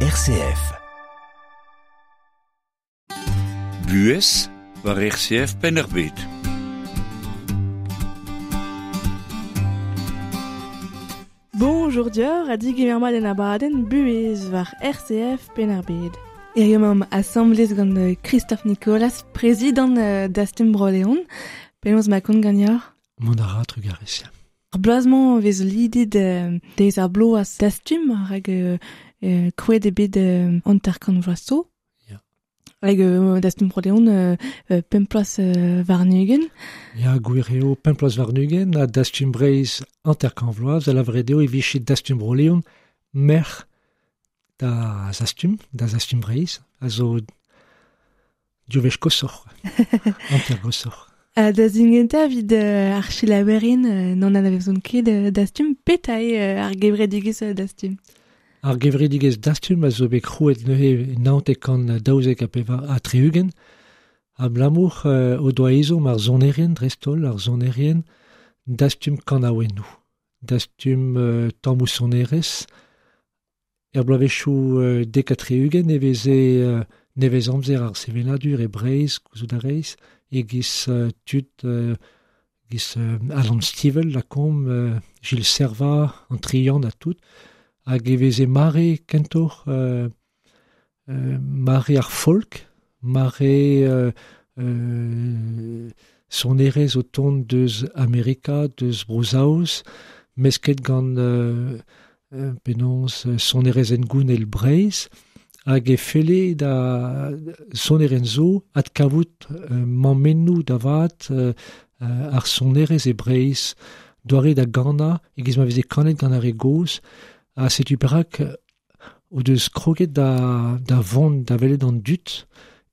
RCF. Buhez war RCF Penn-ar-Bed. Bonjour dior a digemer mat en abadenn buhez war RCF Penn-ar-Bed. Hiziv emaomp asambles gant Christophe Nicolas, prezidant Dastum Bro-Leon. Penaos ma kont ganeoc'h? Mont a ra trugarez. Ar bloaz-mañ vez lidet deiz ar bloaz Dastum rak krouet eo bet 50 vloaz zo. Ya. Hag Dastum Bro-Leon pemp ploaz warn-ugent. Ya, gwir eo pemp ploaz warn-ugent ha Dastum Breizh 50 vloaz, da lavaret eo e vije Dastum Bro-Leon merc'h da Zastum, da Zastum Breizh, a zo div wech koshoc'h, hanter goshoc'h. Da zingentañ evit ar selaouerien n'an anavezont ket Dastum, petra eo ar gevredigezh Dastum? Ar gevredigezh Dastum a zo bet krouet neuze 1992 abalamour o doa ezhomm ar sonerien dreist-holl, ar sonerien dastum kanaouennoù, dastum tammoù sonerezh. Er bloavezhioù 70 e veze nevez amzer ar sevenadur e Breizh, gouzout a rez, e-giz tud giz Alan Stivell, lakaomp, Gilles Servat, an Trian ha tout, hag e veze mare kentoc'h mare ar folk, mare sonerezh o tont deus Amerika, deus Bro-Saoz, mesket gant penaos sonerezh hengounel Breizh, hag e felle da sonerien zo adkavout mammennoù da vat ar sonerezh e Breizh, doare da ganañ e-giz ma veze kanet gant ar re gozh, ha setu perak o deus kroget da vont da welet an dud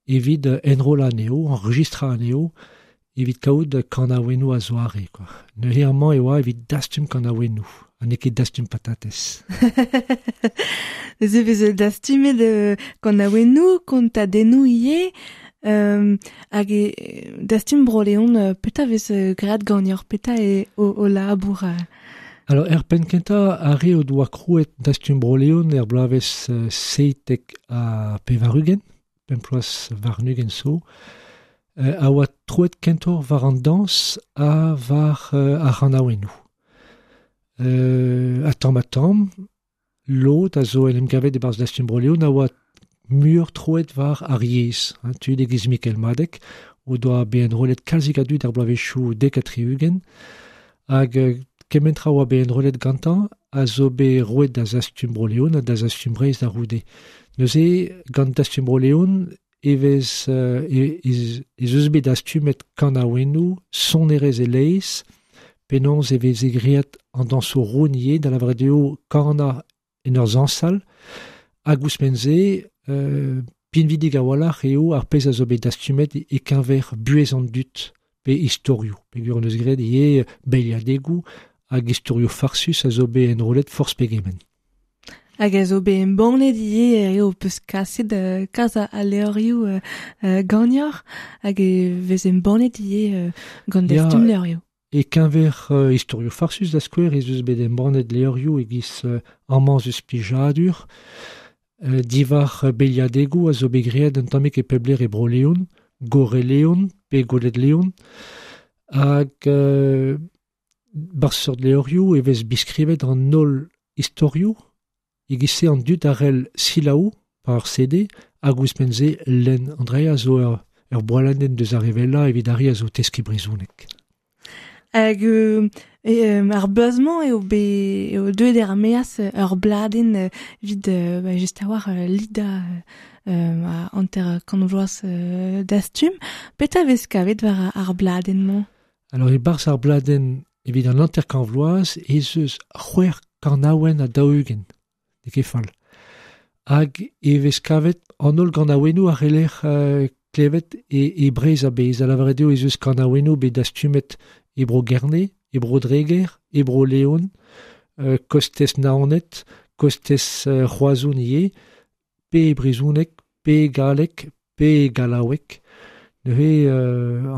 evit enrollañ anezho, enregistrañ anezho, evit kaout kanaouennoù a-zoare, quoi. Neuze amañ e oa evit dastum kanaouennoù, ha n'eo ket dastum patatez. Neuze e vez dastumet kanaouennoù, kontadennoù ivez, hag e dastum Bro-Leon, petra vez graet ganeoc'h, petra eo o labour? Alors, er penn kentañ, ar re o doa krouet dastum Bro-Leon er bloavezh 97, pemp ploaz warn-ugent zo, a oa troet kentoc'h war an dañs ha war ar c'hanaouennoù. Ha tamm ha tamm, lod a zo en em gavet e-barzh Dastum Bro-Leon a oa muioc'h troet war ar yezh. Hein, tud e-giz Mikel Madeg, o doa bet enrollet kalzik a dud ar bloavezhioù 70, hag kement tra oa bet enrollet gantañ a zo bet roet da Zastum Bro-Leon ha da Zastum Breizh da c'houde. Neuze, gant Dastum Bro-Leon, e vez ez eus bet dastumet kanaouennoù, sonerezh e-leizh, penaos e veze graet an dañsoù roun ivez, da lavaret eo kanañ en ur zañsal, hag ouzhpenn-se, pinvidik a-walc'h eo ar pezh a zo bet dastumet e-keñver buhez an dud, pe istorioù. Peogwir hon eus graet ivez beilhadegoù hag istorioù farsus a zo bet enrollet forzh pegement. Hag a zo bet embannet ivez eo peus kaset kalz a levrioù ganeoc'h, hag e vez embannet ivez gant dastum levrioù. E-keñver istorioù farsus da skouer ez eus bet embannet levrioù e-giz amañ eus plijadur, diwar beilhadegoù a zo bet graet un tammig e pep lec'h e Bro-Leon, Gorre-Leon pe Goueled-Leon, hag bar seurt levrioù e vez biskrivet an holl istorioù, e-giz-se an dud a c'hell selaou par ar CD hag ouzhpenn-se lenn. An dra a zo ur boaladenn deus ar re wellañ evit ar re a zo teskiñ brezhoneg. Hag ar bloaz-mañ eo bet eo deuet er maez ur bladenn evit just a-walc'h lidañ 50 vloaz Dastum. Petra vez kavet war ar bladenn-mañ? Alors, e-barzh ar bladenn evit an 50 vloaz ez eus c'hwec'h kanaouenn ha 40. N'eo ket fall. Hag e vez kavet an holl ganaouennoù a c'heller klevet e Breizh a-bezh. Da lavaret eo ez eus kanaouennoù bet dastumet e Bro-Gerne, e Bro-Dreger, e Bro-Leon, kostez Naoned, kostez Roazhon ivez, pe e brezhoneg, pe e galleg, pe e gallaoueg. Neuze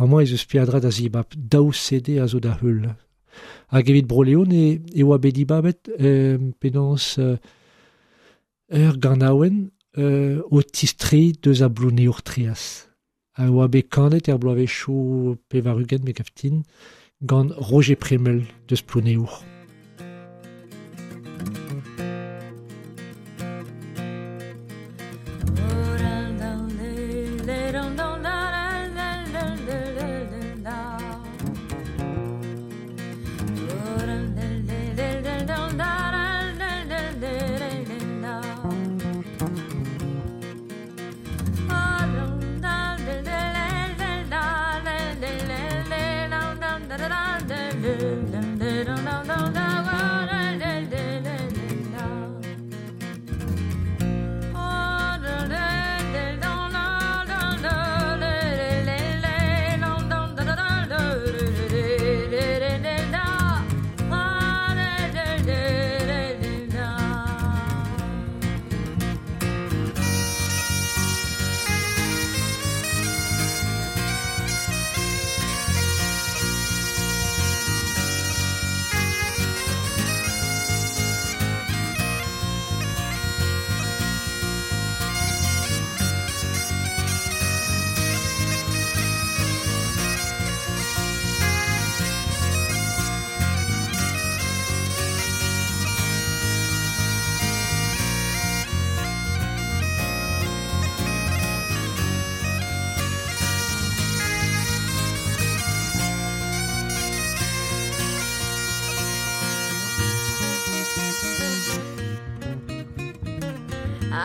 amañ ez eus peadra da zibab, daou CD a zo da heul. Hag evit Bro-Leon e oa bet dibabet penaos Ur ganaouenn o tistri deus a Blouneour Trias. A oa bet kanet er bloavezhioù 80 me gaftin gant Roger Premel deus Plouneour.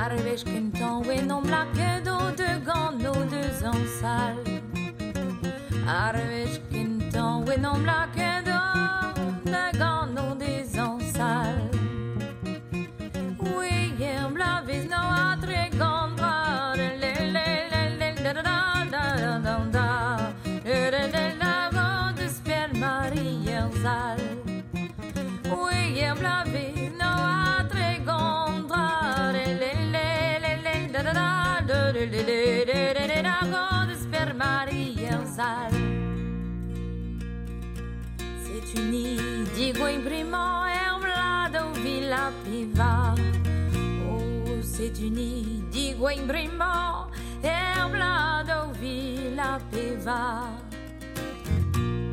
Ar wech kentañ oen omp lakaet o de gant o deus an sal. Ar wech kentañ oen omp lakaet o de gant o deus an sal. Oui, er blavez no a tre gant bra le le le le le da da da da da da le le le la gant deus per Marie er sal. Oui, er blavez no a tre gant bra le le le le da da da le le le le le la gant deus per Marie er sal. C'est uni digo imprimant er blad o villa piva. Oh, c'est uni digo imprimant er blad o villa piva.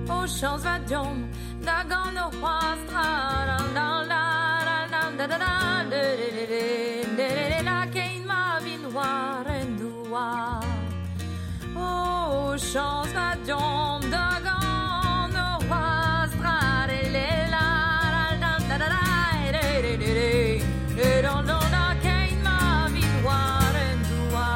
Oh, chance va diom da gant o c'hoaz tra la la la la la da da da le le le le le le la kein ma vin war en doa. Oh, chance va diom da gant o c'hoaz tra le le la la la da da da le le le le le la la la kein ma vin war en doa.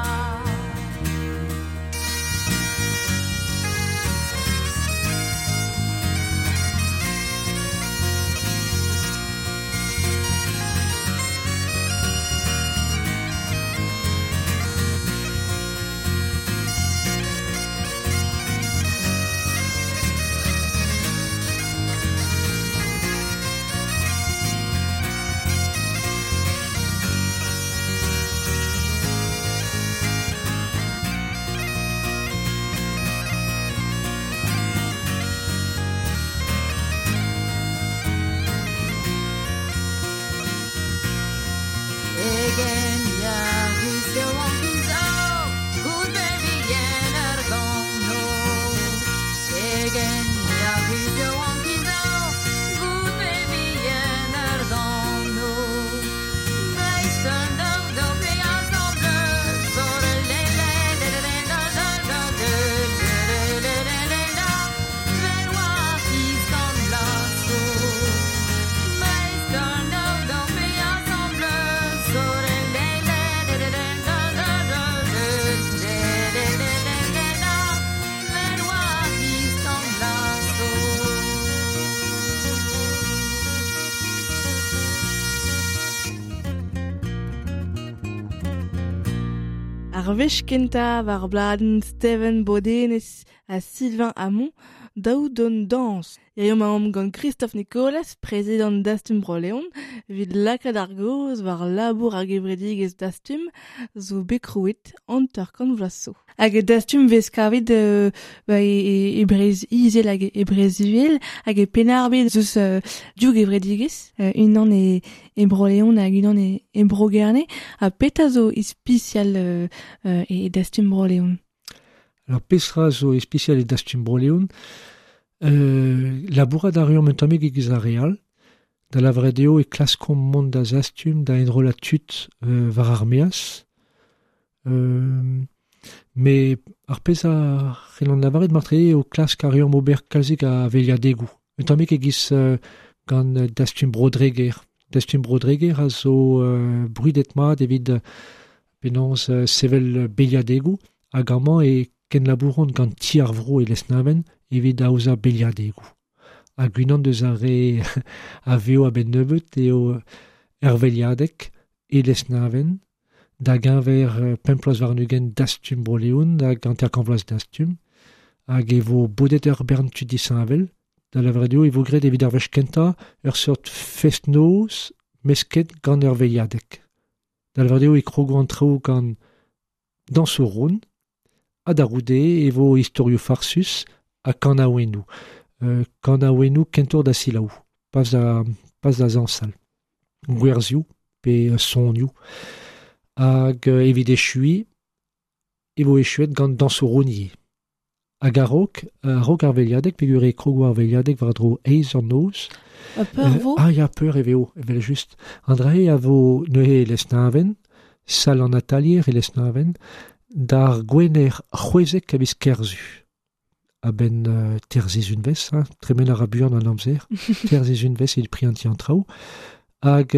Egen ya ruz an kizo, good baby yen ar gano. Egen ya ruz an kizo, good baby yen ar gano. Meistern do do pe ensemble, sur le le le le la la la le le le le le la, vel war kiz gant blaso. Meistern do do pe ensemble, sur le le le le le la la la le le le le le le la, vel war kiz gant blaso. Ar wech kentañ war bladenn Steven Bodenez ha Sylvain Hamon daou don dañs. Hiziv emaomp gant Christophe Nicolas, prezidant Dastum Bro-Leon, evit lakaat ar gaoz war labour ar gevredigezh Dastum zo bet krouet 50 vloaz zo. Hag Dastum vez kavet e Breizh Izel hag e Breizh Uhel hag e Penn-ar-Bed zeus div gevredigezh, unan e Bro-Leon hag unan e Bro-Gerne. Ha petra zo ispisial e Dastum Bro-Leon? Alors petra zo ispisial e Dastum Bro-Leon? Labourat a reomp un tammig egiz ar re all, da lavaret eo e klaskomp mont da Zastum da enrollañ tud war ar maez. Me ar pezh a c'hellan lavaret marteze eo klask a reomp ober kalzik a veliadegoù. Un tammig egiz gant Dastum Bro-Dreger. Dastum Bro-Dreger a zo brudet mat evit penaos sevel beliadegoù hag amañ e kenlabouront gant ti ar vro e Lesneven evit aozañ beliadegoù. Hag unan deus ar re a vev a-benn nebeut eo er veliadeg e Lesneven, da geñver 25 Dastum Bro-Leon hag 50 vloaz Dastum, hag e vo bodet ur bern tud disheñvel, da lavaret eo e vo graet evit ar wech kentañ ur seurt fest-noz mesket gant ur veliadeg. Da lavaret eo e krogo an traoù gant dañsoù ront, ha da roude e vo istorioù farsus ha kanaouennoù. Kanaouennoù kentoc'h da selaou, pas da zañsal. Gwerzioù pe sonioù. Hag evit echuiñ, e vo echuet gant dañsoù ront ivez. Hag a-raok ar veliadeg, peogwir e krogo ar veliadeg war-dro eizh an noz. Ha peur vo? Ah ya, peur e vezo, evel-just. An dra-se a vo neuze e Lesneven, sal an atalier e Lesneven, d'ar gwener 16 a viz Kerzu. A-benn terzizunvez, hein, tremen a ra buan an amzer, terzizunvez evit prientiñ an traoù. Hag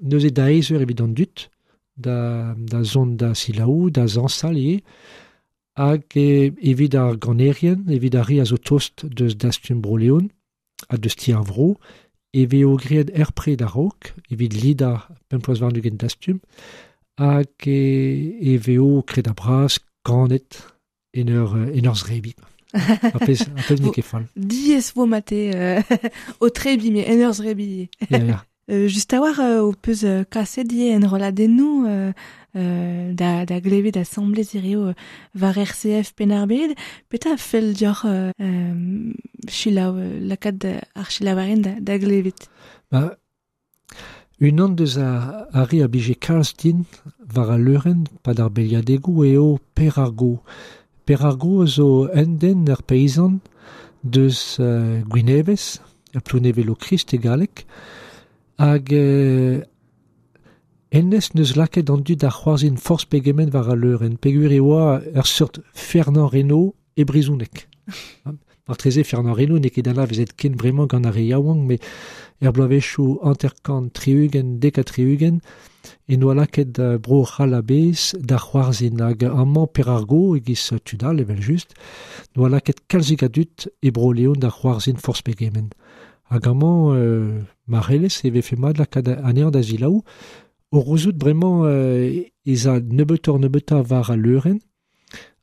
neuze da eizh eur evit an dud, da zont da selaou, da zañsal ivez, hag evit ar ganerien, evit ar re a zo tost deus Dastum Bro-Leon ha deus ti ar vro, e vezo graet er pred a-raok, evit lidañ 25 Dastum, hag e vezo kred a bras kanet en ur zrebi. Ar pezh n'eo ket fall. Diaes vo mate o trebi, met en ur zrebi. Ya, ya. Just a-walc'h ho peus kaset ivez enrolladennoù da glevet asambles hiziv war RCF Penn-ar-Bed. Petra a fell deoc'h selaou, lakaat ar selaouerien da glevet? Ba, unan deus ar re a blije kalz din war al leurenn pad ar beliadegoù eo Per ar Go. Per ar Go zo un den ur peizant deus Gwinevez, ar Plounevez-Lochrist e galleg, hag hennezh neus lakaet an dud da c'hoarzhin forzh pegement war al leurenn, peogwir e oa ur seurt Fernand Reynaud e brezhoneg. Marteze Fernand Reynaud n'eo ket anavezet ken bremañ gant ar re yaouank, met er bloavezhioù 50, 70 e noa lakaet Bro-C'hall a-bezh da c'hoarzhin hag amañ Per ar Go e-giz tud all evel-just, noa lakaet kalzik a dud e Bro-Leon da c'hoarzhin forzh pegement. Hag amañ ma c'hellez e vefe mat lakaat anezhañ da selaou, o rouzout bremañ ez a nebeutoc'h-nebeutañ war al leurenn,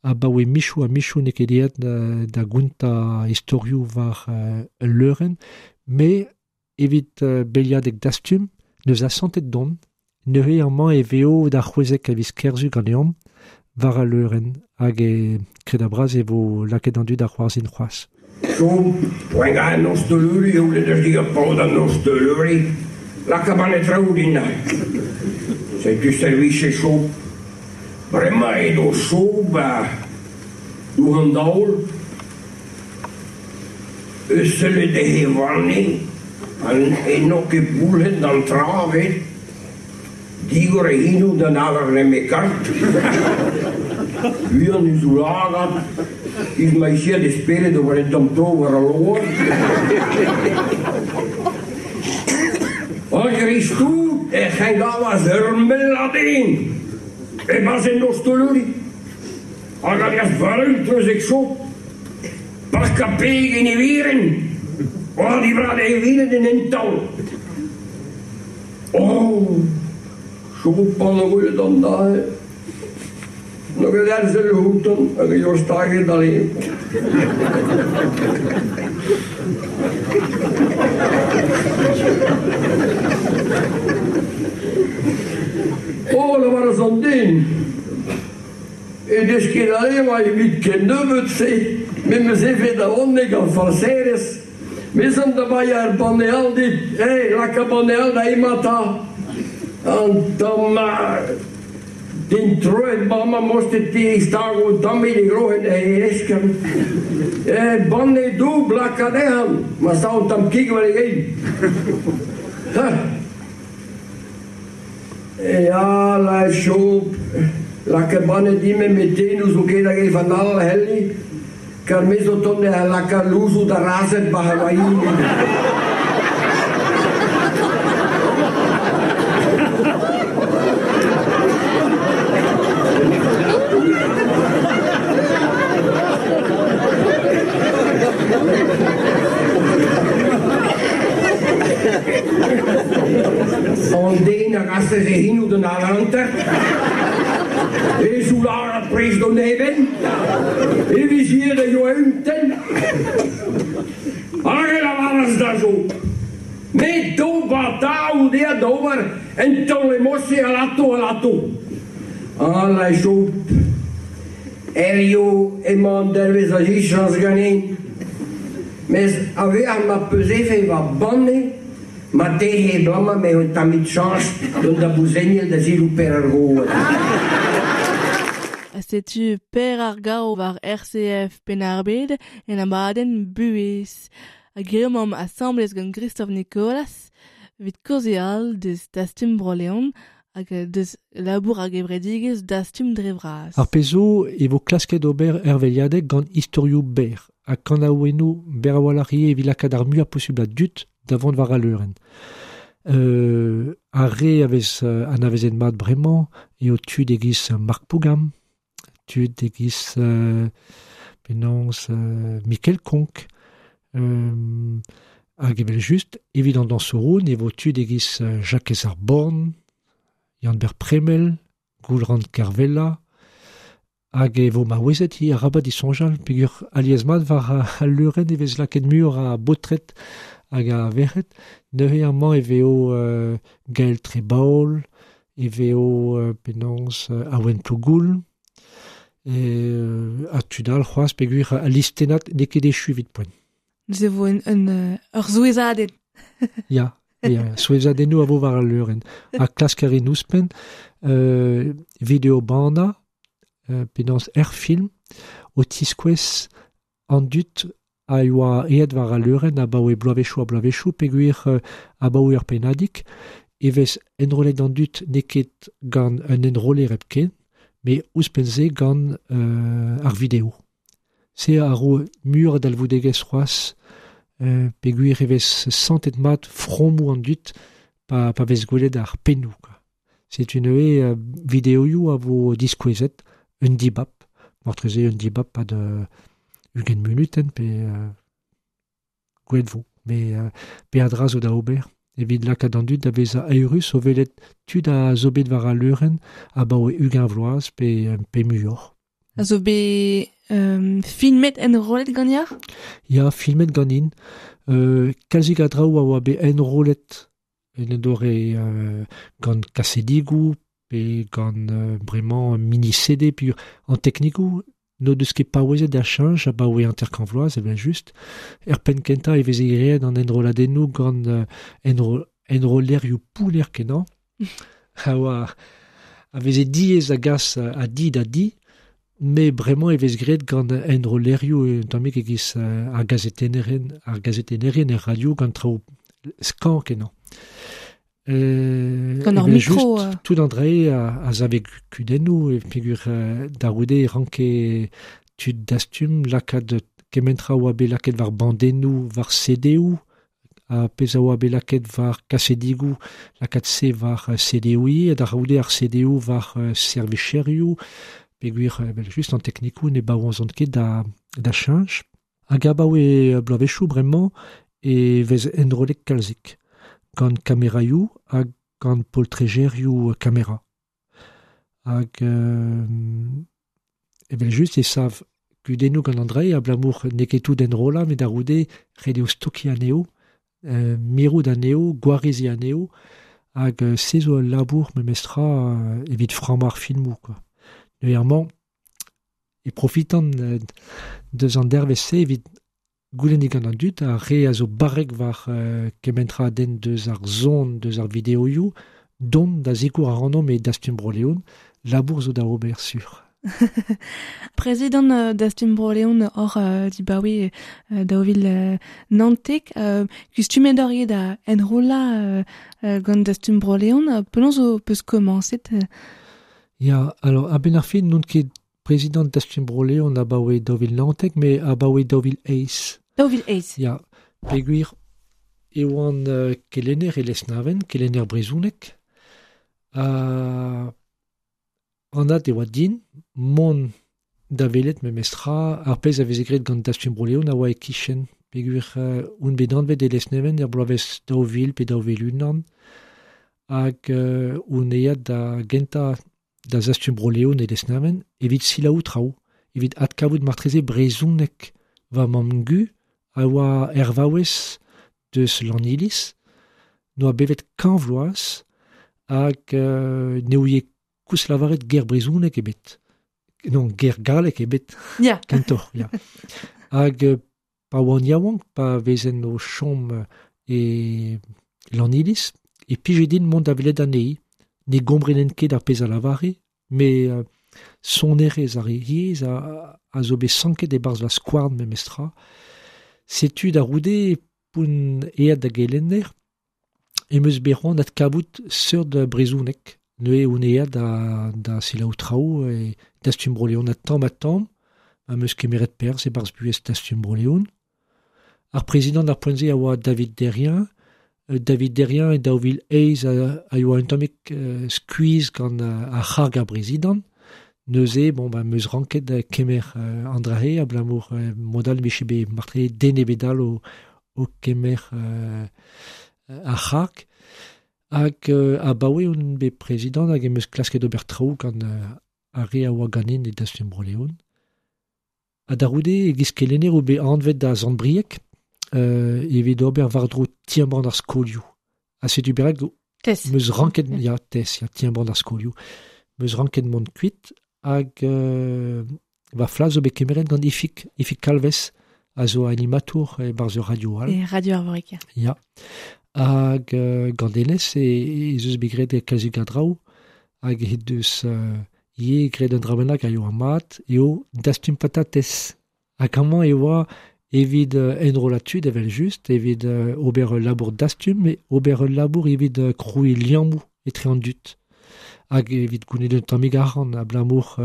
abaoe michoù ha michoù n'eo ket aet da gontañ istorioù war ul leurenn, met evit beliadeg Dastum neus asantet dont, neuze amañ e vezo da 16 a viz Kerzu ganeomp war al leurenn, hag e kred a bras e vo lakaet an dud da c'hoarzhin c'hoazh. Zo, poent an noz de leuri, eo let eus diga paotr an noz de leuri, laka ban e traoù din. Setu servij e cho. Bremañ edo cho ba dour an daol, eus sellet e vanne, an eno ket boulhet d'an tra vet, digor e hinoù d'an alar neme kart. Uan eus oulagat, iz ma isiad e spered o war en tamm tro war al loar. Hag ristout e c'hengavas ur melladin, e bas en noz toluri. Hag a reas varun treuzek cho, park a peg en e viren, oa divrad e viren en en taol. Oh, cho pan a gwelet an dae. Nog een erzel houten, hag e jour staget alleen. O, lavaras an den, e deus ket a evañ evit ken nebeut-se, me 'm eus evet a-honek gant falserezh, me 'z an da baeañ ar banne all dit, hey, laka banne all da emañ 'ta. An tamm den troet bremañ mostet te stago un tammig e groc'hen e eskern. Banne doubl laka dezhañ, ma sav un tamm kig war e gein. Ya, la Job, lakaet banne din-me met te n'ouzo ket hag ev an all c'helli, kar me zo tont da lakaat louzoù da razhed 'ba Hawaii. An den a gasez e c'hinoù d'an hanter, e soularat prest d'an eben, e vizier a yoa un tenn. Hag e lavaras da Job, Me d'ober daou dezhañ d'ober un taol emose alato alato. Ala Job, hirio emañ an dervezh a zichañs ganin. Mes a-vec'h ma peus evet va banne, ma tehe bremañ me un tammig chañs dont da bouzegnel da selaou Per ar Goad. Setu Per ar Gaou war RCF Penn-ar-Bed en abadenn Buhez. Hag emaomp asambles gant Christophe Nicolas evit kaozeal deus Dastum Bro-Leon hag deus labour ar gevredigezh Dastum dre vras. Ar pezh zo e vo klasket ober erveliadeg gant istorioù berr ha kanaouennoù berr a-walc'h ivez evit lakaat ar muiañ posubl a dud da vont war al leurenn. Ar re a vez anavezet mat bremañ eo tud e-giz Marc Pougam, tud e-giz penaos Mikel Konk, hag evel-just evit an dañsouroù e vo tud e-giz Jakez ar Born, Yann-Ber Premel, Goulran Kervella, hag e vo maouezet hi arabat disoñjal peogwir alies-mat war al leurenn e vez lakaet muioc'h a baotred hag a verc'hed. Neuze amañ e vezo Gael Trebaol, e vezo penaos Awen Plougoul, ha tud all c'hoazh peogwir al listennad n'eo ket echu evit poent. Neuze e vo ur souezhadenn. Ya, ya, souezhadennoù a vo war al leurenn. Ha klask a rin ouzhpenn video bannañ, penaos er film, o tiskouez an dud a yoa aet war al leurenn abaoe bloavezhioù ha bloavezhioù peogwir abaoe ur pennadig e vez enrollet an dud n'eo ket gant un enroller hepken, met ouzhpenn-se gant ar video. Se a ro muioc'h a dalvoudegezh c'hoazh peogwir e vez santet mat fromoù an dud pa vez gwelet ar pennoù. Setu neuze videoioù a vo diskouezet un dibab, marteze un dibab pad 20 munutenn pe gwelet vo. Met peadra zo da ober evit lakaat an dud da vezañ eürus o welet tud a zo bet war al leurenn abaoe 20 vloaz pe muioc'h. A zo bet filmet enrollet ganeoc'h? Ya, filmet ganin. Kalzik a draoù a oa bet enrollet en un doare gant kasedigoù pe gant bremañ mini-CD pe an teknikoù n'o deus ket paouezet da cheñch abaoe hanter-kant vloaz evel-just. Er penn-kentañ e veze graet an enrolladennoù gant enrollerioù pounner-kenañ a oa a veze diaes da gas a di da di, met bremañ e vez graet gant enrollerioù un tammig e-giz ar gazetennerien er radio gant traoù skañv-kenañ. Gant ur micro. Tout an dra a save kudennoù e peogwir da c'houde e ranke tud dastum lakaat kement tra oa bet lakaet war bandennoù, war CD-où, ha pezh a oa bet lakaet war kasedigoù, lakaat se war CD-où ivez, ha da c'houde ar CD-où war servicherioù, peogwir evel-just an teknikoù ne baouezont ket da cheñch. Hag abaoe bloavezhioù bremañ e vez enrollet kalzik gant kameraioù hag gant poltrejerioù kamera. Hag evel-just e sav Kudennoù gant an dra-se, abalamour n'eo ket tout enrollañ, met a-c'houde ret eo stokiñ anezho, mirout anezho, gwareziñ anezho, hag se zo ul labour memestra evit frammañ ar filmoù, quoi. Neuze amañ e profitan deus an dervezh-se evit goulenn digant an dud, ar re a zo barrek war kement tra a denn deus ar son, deus ar videoioù, dont da sikour ac'hanomp e Dastum Bro-Leon, labour zo da ober sur. Prezidant Dastum Bro-Leon oc'h dibaoe 2019, kustumet oc'h ivez da enrollañ gant Dastum Bro-Leon, penaos ho peus komañset? Ya, alors a-benn ar fin n'on ket prezidant Dastum Bro-Leon abaoe 2019, met abaoe 2008. 2008. Ya, peogwir e oan kelenner e Lesneven, kelenner brezhoneg. Anat e oa din mont da welet memestra ar pezh a veze graet gant Dastum Bro-Leon a oa e-kichen, peogwir on bet anvet e Lesneven er bloavezh 2000 pe 2001, hag on eat da gentañ da Zastum Bro-Leon e Lesneven evit selaou traoù, evit adkavout martreze brezhoneg va mamm-gu a oa er vaouez deus Lanniliz, n'oa bevet kant vloaz hag ne ouie koulz lavaret ger brezhoneg ebet. Non, ger gallek ebet. Ya. Kentoc'h, ya. Hag pa oan yaouank, pa vezen o chom e Lanniliz, e pije din mont da welet anezhi. Ne gomprenen ket ar pezh a lavare, met sonerezh ar yezh a zo bet sanket e-barzh va skouarn memestra. Setu da c'houde p'on aet da gelenner, em eus bet c'hoant adkavout seurt brezhoneg. Neuze on aet da selaou traoù e Dastum Bro-Leon ha tamm ha tamm, am eus kemeret perzh e-barzh buhez Dastum Bro-Leon. Ar prezidant ar poent-se a oa David Derrien. David Derrien e 2008 a yoa un tammig skuizh gant ar c'harg ar prezidant. Neuze, bon, ba, 'm eus ranket kemer an dra-se abalamour mod all 'mije bet marteze den ebet all o kemer ar c'harg. Hag abaoe on bet prezidant hag em eus klasket ober traoù gant ar re a oa ganin e Dastum Bro-Leon. Ha da c'houde e-giz kelenner on bet anvet da Sant-Brieg evit ober war-dro ti-embann ar skolioù. Ha setu perak Tes. 'm eus ranket, ya, tes, ya, ti-embann ar skolioù. 'M eus ranket mont kuit hag va flas zo bet kemeret gant Ifig, Ifig Kalvez, a zo animatour e-barzh ur radio all. E Radio Arvorig. Ya. Hag gant hennezh ez eus bet graet kalzik a draoù hag he deus ivez graet un dra bennak a yoa mat eo dastum patatez. Hag amañ e oa evit enrollañ tud evel-just, evit ober ul labour dastum, met ober ul labour evit krouiñ liammoù etre an dud. Hag evit gounit un tammig arc'hant abalamour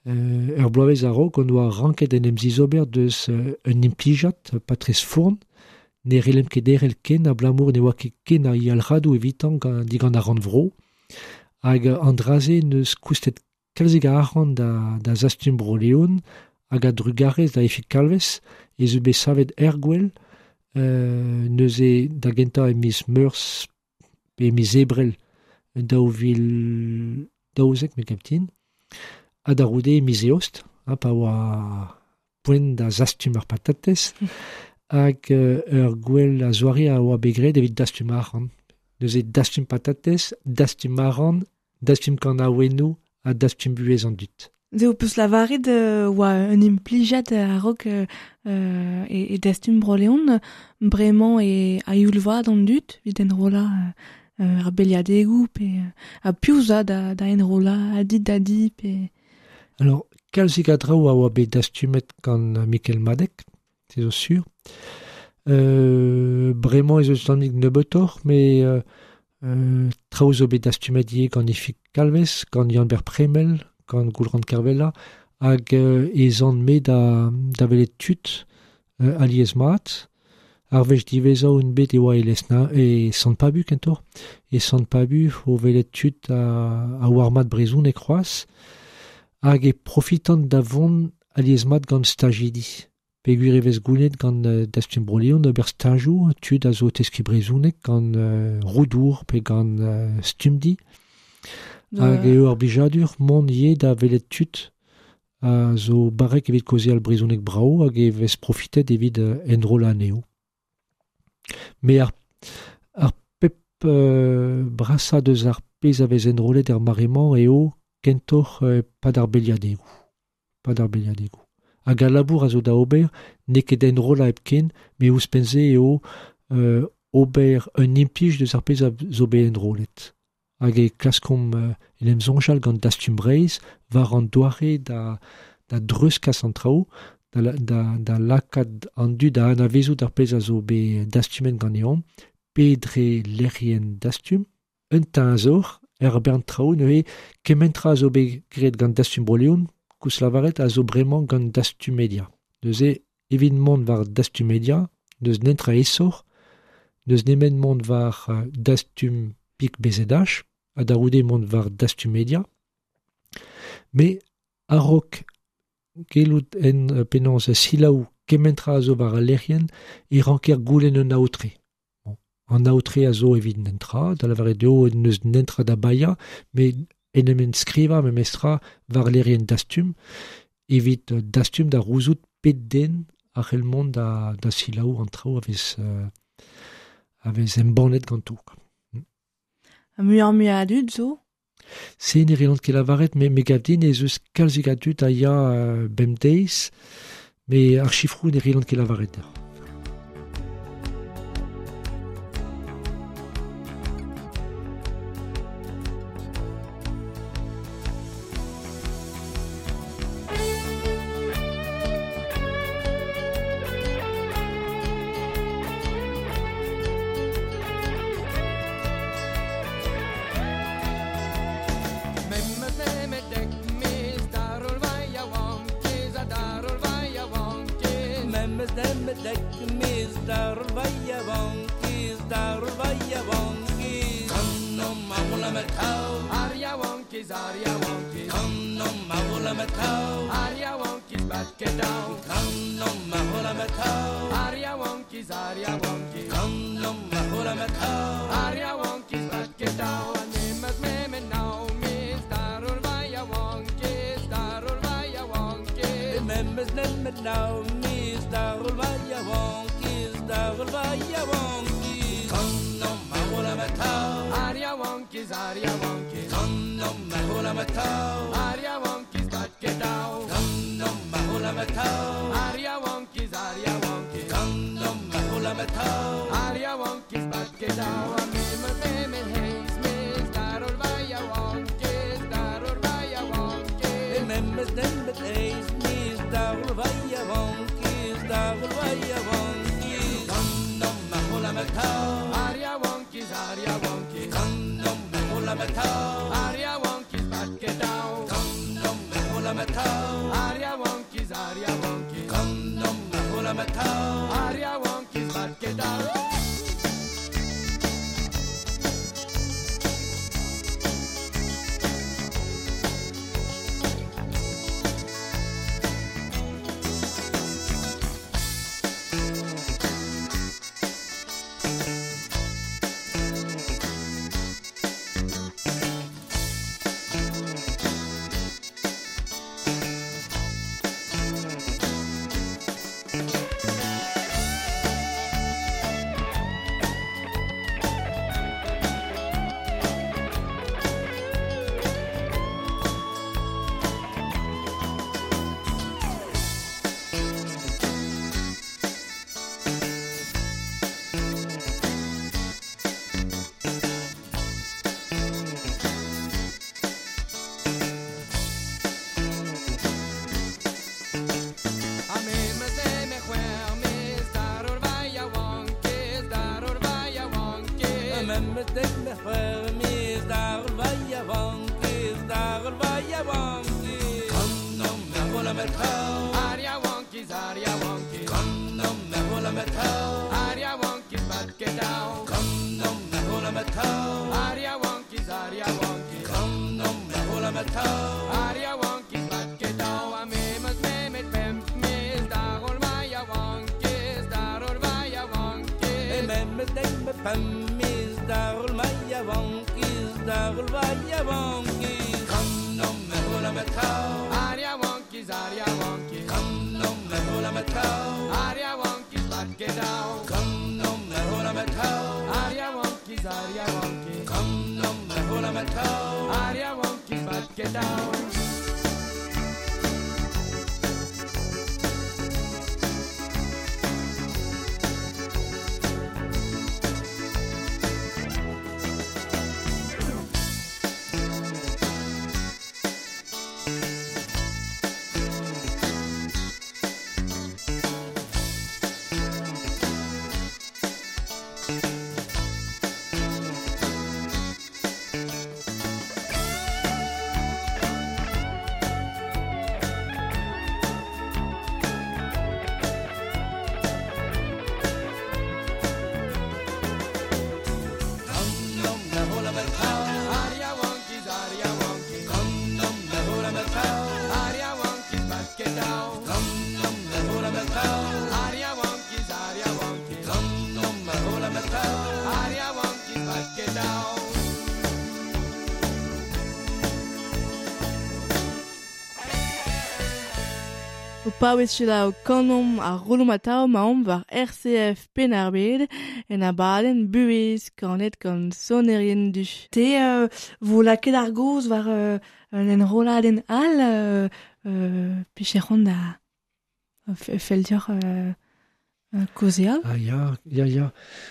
ur bloavezh a-raok on oa ranket en em zizober deus un implijad, Patrice Fourn, ne c'hellemp ket derc'hel ken abalamour ne oa ket ken a yalc'hadoù evitañ digant ar rannvro. Hag an dra-se n'eus koustet kalzik a arc'hant da Zastum Bro-Leon hag a drugarez da Ifig Kalvez ez eus bet savet er gwel, neuze da gentañ e miz Meurzh pe e miz Ebrel 2012 me gav din, ha da c'houde e miz Eost, ha pa oa poent da zastum ar patatez, hag ur gwel a zoare a oa bet graet evit dastum arc'hant. Neuze dastum patatez, dastum arc'hant, dastum kanaouennoù ha dastum buhez an dud. Se ho peus lavaret oa un implijad a-raok e Dastum Bro-Leon, bremañ e a-youl vat an dud evit enrollañ ar beliadegoù pe ha piv zo da enrollañ a dit da di pe... Alors, kalzik a draoù a oa bet dastumet gant Mikel Madec, se zo sur. Bremañ ez eus tammig nebeutoc'h, met traoù zo bet dastumet ivez gant Ifig Kalvez, gant Yann-Ber Premel, gant Goulc'han Kervella, hag ez an me da welet tud alies mat. Ar wech diwezhañ on bet e oa e Lesna, e Sant-Pabu kentoc'h. E Sant-Pabu o welet tud a oar mat brezhoneg c'hoazh, hag e profitan da vont alies mat gant stajidi. Peogwir e vez goulennet gant Dastum Bro-Leon ober stajoù, tud a zo teskiñ brezhoneg gant Roudour pe gant Stumdi. Hag eo ar blijadur mont ivez da welet tud a zo barrek evit kaozeal brezhoneg brav hag e vez profitet evit enrollañ anezho. Me ar pep brasañ deus ar pezh a vez enrollet er mare-mañ eo kentoc'h pad ar beliadegoù. Pad ar beliadegoù. Hag al labour a zo da ober n'eo ket enrollañ hepken, met ouzhpenn-se eo ober un implij deus ar pezh a zo bet enrollet. Hag e klaskomp en em soñjal gant Dastum Breizh war an doare da dreuzkas an traoù, da lakaat an dud da anavezout ar pezh a zo bet dastumet ganeomp, pe dre lec'hienn Dastum, un teñzor, er bern traoù neuze kement tra a zo bet graet gant Dastum Bro-Leon, koulz lavaret a zo bremañ gant Dastum Media. Neuze evit mont war Dastum Media, n'eus netra aesoc'h, n'eus nemet mont war Dastum Pik BZH, ha da c'houde mont war Dastum Media. Me a-raok gellout en penaos selaou kement tra a zo war al lec'hienn e ranker goulenn un aotre. Bon. An aotre a zo evit nentra, da lavaret eo n'eus nentra da baeañ, met en em enskrivañ memestra war lec'hienn Dastum, evit Dastum da rouzout pet den a c'hell mont da selaou an traoù a vez embannet ganto. Muioc'h mui a dud zo? Se ne reont ket lavaret, me gav din ez eus kalzik a dud a ya bemdeiz, met ar sifroù ne reont ket lavaret deoc'h. O paouez selaou kanomp ar rolomp atav maomp war RCF Penn-ar-Bed en abadenn buhez kanet gant sonerien du. Te vo lakaet ar gaoz war un enrolladenn all picheront da fell deoc'h kaozeal. Ah ya, ya, ya.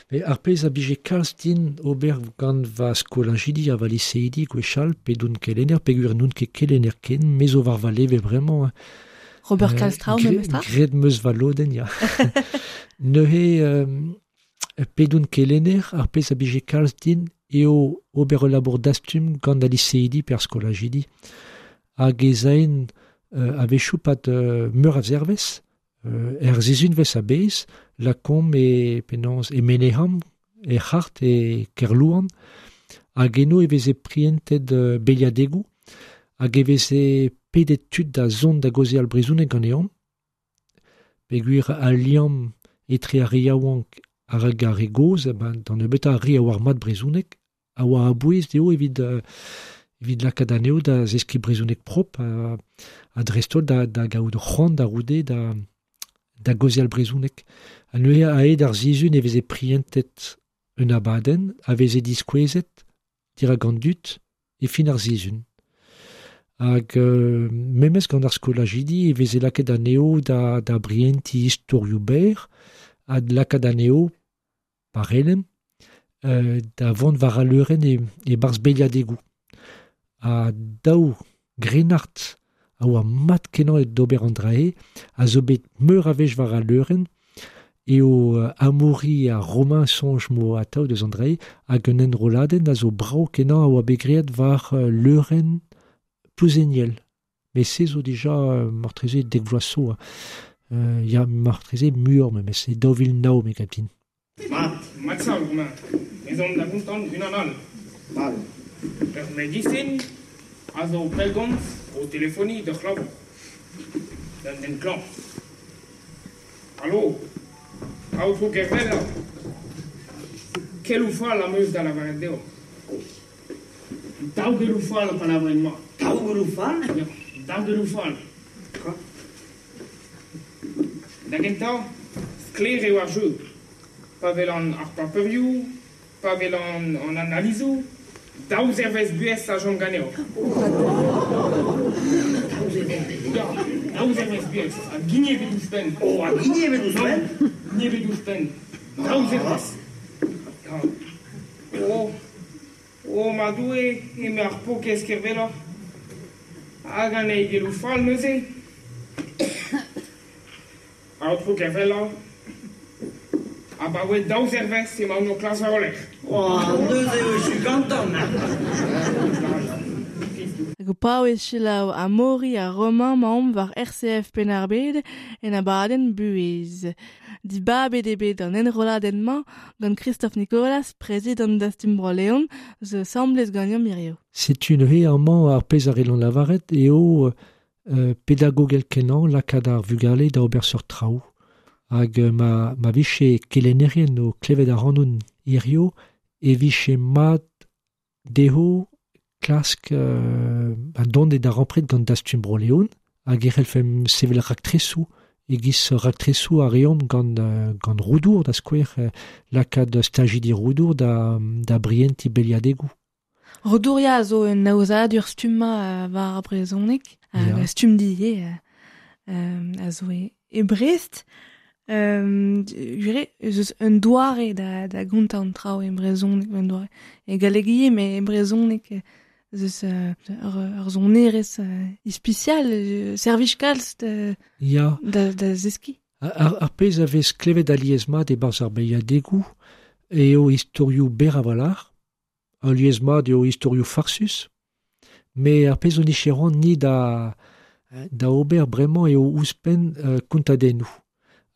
Me ar pezh a bije kalz din ober gant va skolajidi ha va liseidi gwechall pe doun kelenner, peogwir n'oun ket kelenner ken, me zo war va leve bremañ. Hein. Robert Kalstrau, memes tra? Graet 'm eus va lodenn, ya. Neuze, pe doun kelenner, ar pezh a bije kalz din eo ober ul labour dastum gant al liseidi pe ar skolajidi. Hag ez aen a-wechoù pad meur a zervez, er sizhunvezh a-bezh, lakaomp e penaos e Meneham, e C'hart, e Kerlouan, hag eno e veze prientet beliadegoù, hag e veze pedet tud da zont da gaozeal brezhoneg ganeomp, peogwir al liamm etre ar re yaouank hag ar re gozh, d'an nebeutañ ar re a oar mat brezhoneg, a oa a-bouez dezho evit evit lakaat anezho da zeskiñ brezhoneg propr ha dreist-holl da gaout c'hoant da roude da gaozeal brezhoneg. Ha neuze a-hed ar sizhun e veze prientet un abadenn a veze diskouezet dirak an dud e fin ar sizhun. Hag memes gant ar skolajidi e veze lakaet anezho da brientiñ istorioù berr ha lakaat anezho parelem da vont war al leurenn e-barzh beliadegoù. Ha daou grennard a oa mat-kenañ d'ober an dra-se a zo bet meur a wech war al leurenn eo Amaury ha Romain soñj mo atav deus an dra-se hag un enrolladenn a zo brav-kenañ a oa bet graet war leurenn Plouzeniel. Mais se zo dija martreze dek vloaz zo. Ya martreze muioc'h memes, e 2009 me gav din. Mat, mat sav, Romain. Ez omp da gontan unan all. Mal. Ur medisin a zo pellgomz o telefoniñ d'ur c'hlañvour. D'un den klañv. Alo, aotrou Kervella. Keloù fall am eus da lavaret deoc'h. Daou geloù fall pa lavarin mat. Daou geloù fall? Ya, daou geloù fall. Da gentañ, sklaer eo ar jeu. Pa welan ar paperioù, pa welan an analizoù, daou zervezh buhez a chom ganeoc'h. Ya, daou zervezh buhez, ha gini ebet ouzhpenn. Oh, ha gini ebet ouzhpenn? Gini ebet ouzhpenn. Daou zervezh. Ya. Oh, oh ma Doue, eme ar paourkaezh Kervella. Hag an eil geloù fall neuze. Aotrou Kervella, abaoe daou zervezh emaon o klask war ho lerc'h. Oh, neuze eo echu gantañ. Hag o paouez selaou Amaury ha Romain maomp war RCF Penn-ar-Bed en abadenn buhez. Dibabet eo bet an enrolladenn-mañ gant Christophe Nicolas, prezidant Dastum Bro-Leon, zo asambles ganeomp hiziv. Setu neuze amañ ar pezh a c'hellont lavaret eo pedagogel kenañ lakaat ar vugale da ober seurt traoù. Hag ma vije kelennerien o klevet ac'hanon hiziv e vije mat dezho klask dont e darempred gant Dastum Bro-Leon hag e c'hellfemp sevel raktresoù e-giz raktresoù a reomp gant Roudour da skouer lakaat stajidi Roudour da brientiñ beliadegoù. Roudour ya a zo un aozadur stummañ war ar brezhoneg, hag stumm ivez a zo e Brest. Gwir ez eus un doare da gontañ an traoù e brezhoneg, un doare. E galleg ivez, met e brezhoneg ez eus ur sonerezh ispisial, servij kalz da zeskiñ. Ar pezh a vez klevet alies-mat e-barzh ar beiadegoù eo istorioù berr a-walc'h, alies-mat eo istorioù farsus, met ar pezh on nicheron ni da ober bremañ eo ouzhpenn kontadennoù.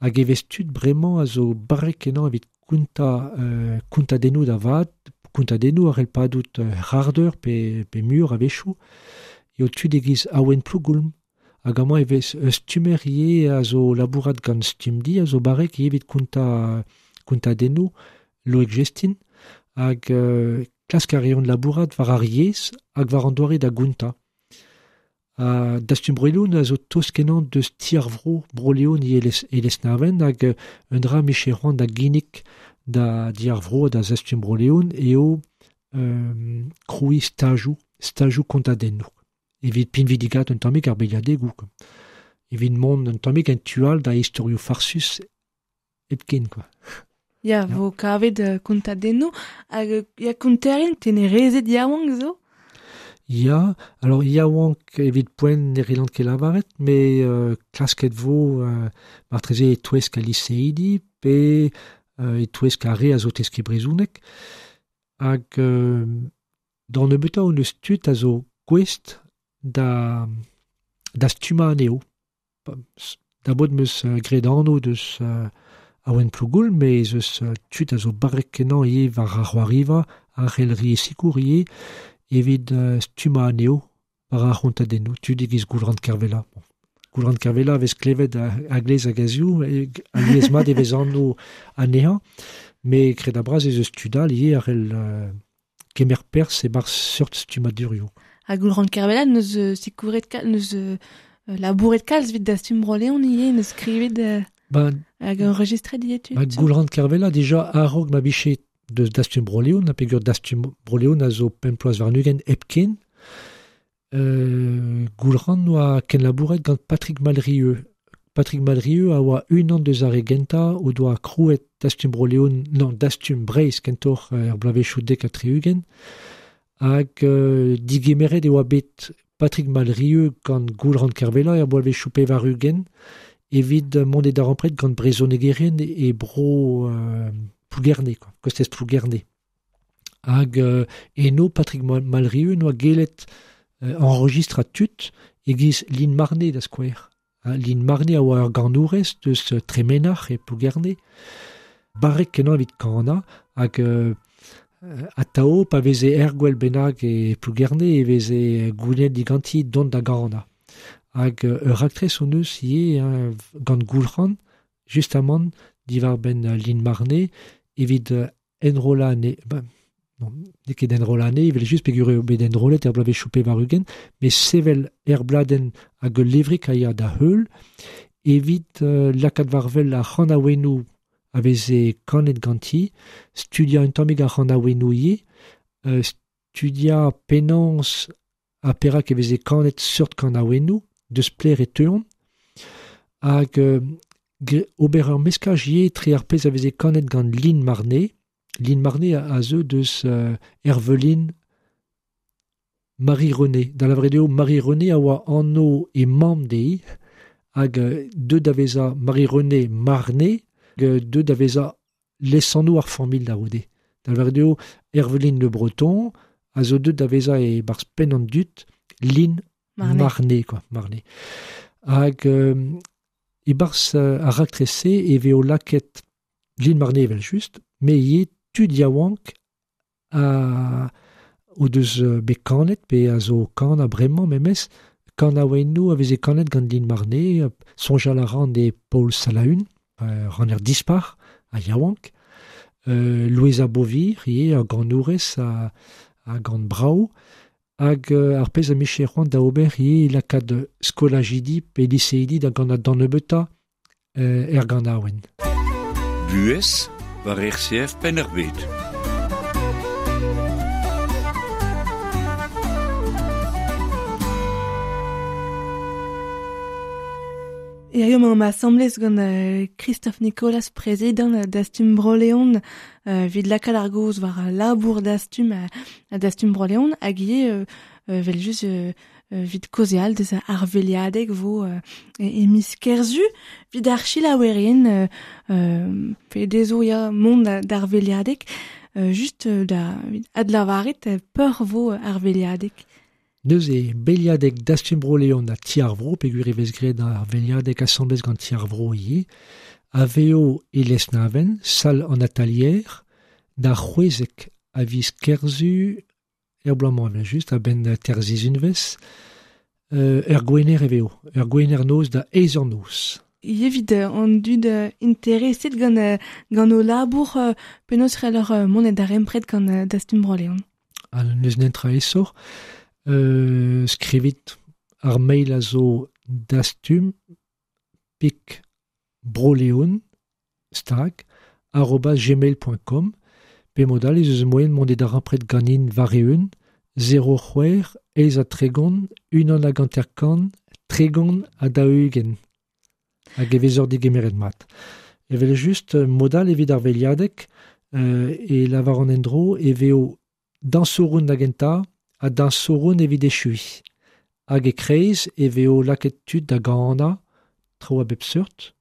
Hag e vez tud bremañ a zo barrek-kenañ evit kontadennoù da vat, kontadennoù a c'hell padout c'hardeur pe mur a-wechoù, eo tud e-giz Awen Plougoulm. Hag amañ e vez stummer ivez a zo labourat gant Stumdi, a zo barrek ivez evit kontadennoù Loeg Jestin, hag klask a reont labourat war ar yezh hag war an doare da gontañ. Ha Dastum Bro-Leon a zo tost kenañ deus ti ar vro Bro-Leon e Lesnaven hag un dra miche c'hoant da ginnig da di ar vro da Dastum Bro-Leon eo krouiñ stajoù kontadennoù. Evit pinvidigat un tammig ar beliadegoù. Evit mont un tammig en tu all da istorioù farsus hepken, quoi. Ya, vo kavet kontadennoù hag ya konterien tenerezet yaouank zo? Ya, alors yaouank evit poent ne relant ket lavaret, mais klasket vo martreze e-touesk a liseidi pe e-touesk ar re a zo teske brezhoneg. Hag d'an nebeutañ hon eus tud a zo gouest da stummañ anezho. Da bod meus graet anv deus Awen Plougoul, mais ez eus tud a zo barrek kenañ ivez war ar c'hoariva, ar c'hellri sikour ivez, evit stummañ anezho war ar c'hontadennoù, tud e-giz Goulc'han Kervella. Bon. Goulc'han Kervella vez klevet a-glez hag a-ziv, alies mat e vez anv anezhañ, met kred a-bras ez eus tud all ivez a c'hell kemer perzh e-barzh seurt stummadurioù. Ha Goulc'han Kervella neus sikouret neus labouret kalz evit Dastum Bro-Leon ivez, neus skrivet hag enregistret ivez tud. Goulc'han Kervella dija a-raok ma vije deus Dastum Bro-Leon, ha peogwir Dastum Bro-Leon a zo pemp ploaz warn-ugent hepken, Goulc'han oa kenlabouret gant Patrick Malrieu. Patrick Malrieu a oa unan deus ar re gentañ o doa krouet Dastum Bro-Leon, non, Dastum Breizh kentoc'h er bloavezhioù 70, hag digemeret e oa bet Patrick Malrieu gant Goulc'han Kervella er bloavezhioù 80 evit mont e darempred gant brezhonegerien e bro Plougerne, quoi, kostez Plougerne. Hag eno Patrick Malrieu noa gellet enregistra tud e-giz Lin Marne da skouer. Lin Marne a oa ur ganourez deus Tremenac'h e Plougerne. Barrek kenañ evit kanañ hag atao pa veze er gwell bennak e Plougerne e veze goulennet diganti dont da ganañ. Hag ur raktres hon eus ivez gant Goulc'han, justamant diwar-benn Lin Marne evit enrollañ anezhe. Non, n'eo ket enrollañ anezhe, evel just peogwir eo bet enrollet er bloavezhioù 80, met sevel er bladenn hag ul levrig a ya da heul evit lakaat war-wel ar c'hanaouennoù a veze kanet ganti, studiañ un tammig ar c'hanaouennoù ivez, studiañ penaos ha perak e veze kanet seurt kanaouennoù, deus pler e teuont, hag ober ur meskaj ivez etre ar pezh a veze kanet gant Lin Marne. Lin Marne a zeu deus Herveline Marie-Renée. Da lavaret eo Marie-Renée a oa anv e mamm dezhi, hag deuet da vezañ Marie-Renée Marne, deuet da vezañ lesanv ar familh da c'houde. Da lavaret eo Herveline Le Breton a zo deuet da vezañ e-barzh penn an dud Lin Marne, quoi, Marne. Hag e-barzh ar raktres-se e vez o lakaet Lin Marne evel just, met ivez tud yaouank a o deus bet kanet pe a zo kanañ bremañ memes, kanaouennoù a veze kanet gant Lin Marne, soñjal a ran e Paul Salaun, ranner dispar a yaouank, Louisa Beauvir ivez, ur ganourez a gant brav, hag ar pezh a miche c'hoant da ober ivez lakaat skolajidi pe liseidi da gant d'an nebeutañ er ganaouenn. Buhez war RCF Penn-ar-Bed. Hirio emaomp asambles gant Christophe Nicolas, prezidant Dastum Bro-Leon, evit lakaat ar gaoz war labour Dastum ha Dastum Bro-Leon, hag ivez evel just evit kaozeal deus ar veliadeg vo e miz Kerzu, evit ar selaouerien pe dezho ya mont d'ar veliadeg, just da adlavaret peur vo ar veliadeg. Neuze, beliadeg Dastum Bro-Leon ha Ti ar Vro, peogwir e vez graet ar veliadeg asambles gant Ti ar Vro ivez, a vezo e Lesnaven, sal an atalier, da c'hwezek a viz Kerzu, er bloaz-mañ evel just, a-benn terzizunvez, er gwener e vezo, er gwener noz da eizh eur noz. Evit an dud intereset gant o labour, penaos c'helloc'h mont da darempred gant Dastum Bro-Leon. Ha n'eus netra aesoc'h. Skrivit Ar mail a zo dastum pik broleon stag @gmail.com pe modal ez eus moyen mont e darempred ganin war-eeun 0 c'hwec'h eizh ha 30 unan hag 50 30 ha 40 hag e vezor digemeret mat. Evel just modal evit ar veliadeg e lavar an endro e veo dañsouroun da gentañ ha dañsouroun evit echui. Hag e kreiz e veo lakaet tud da ganañ traoù a bep seurt,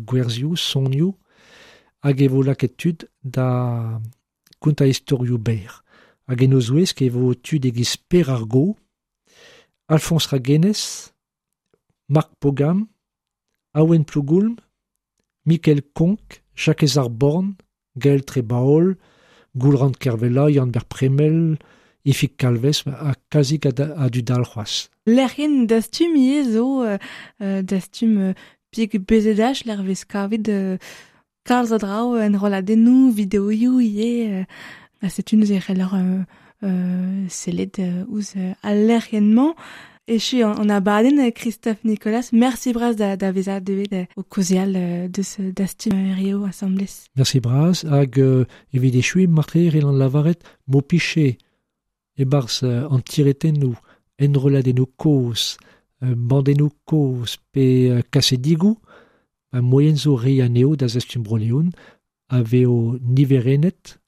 gwerzioù, sonioù, hag e vo lakaet tud da kontañ istorioù berr. Hag en o zouesk e vo tud e-giz Per ar Go, Alphonse Raguenez, Marc Pogam, Awen Plougoulm, Mikel Konk, Jakez ar Born, Gaël Trebaol, Goulran Kervella, Yann-Ber Premel, Ifig Kalvez ha kazik a dud all c'hoazh. Lec'hien dastum ivez zo dastum pik BZH l'er vez kavet kalz a draoù enrolladennoù, videoioù ivez. Ha setu neuze e c'heller sellet ouzh al lec'hienn-mañ. Echu an abadenn Christophe Nicolas, merci bras da vezañ deuet o kaozeal deus dastum Rio asambles. Merci bras hag evit echuiñ marteze e c'hellan lavaret m'ho pije e-barzh an tiretennoù, enrolladennoù kozh, bandennoù kozh pe kasedigoù, moyen zo reiñ anezho da zastum Bro-Leon a vezo niverennet,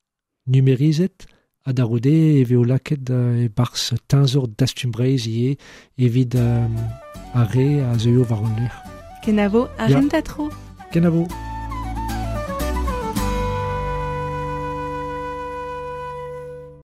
numerizet, ha da roude e vezo lakaet e-barzh teñzor dastum Breizh ivez evit ar re a zeuio war hon lec'h. Kenavo, ar Ya. renta tro. Kenavo.